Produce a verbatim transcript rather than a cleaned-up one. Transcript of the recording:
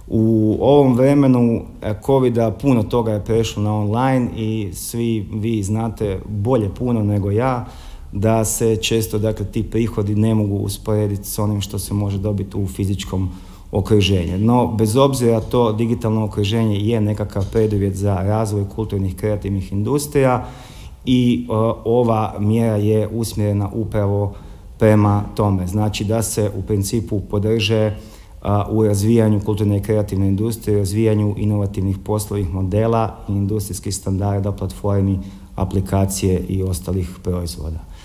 U ovom vremenu covida puno toga je prešlo na online i svi vi znate bolje puno nego ja da se često, dakle, ti prihodi ne mogu usporediti s onim što se može dobiti u fizičkom okruženju. No, bez obzira to digitalno okruženje je nekakav preduvjet za razvoj kulturnih kreativnih industrija i uh, ova mjera je usmjerena upravo prema tome. Znači da se u principu podrže uh, u razvijanju kulturne i kreativne industrije, razvijanju inovativnih poslovnih modela i industrijskih standarda, platformi, aplikacije i ostalih proizvoda.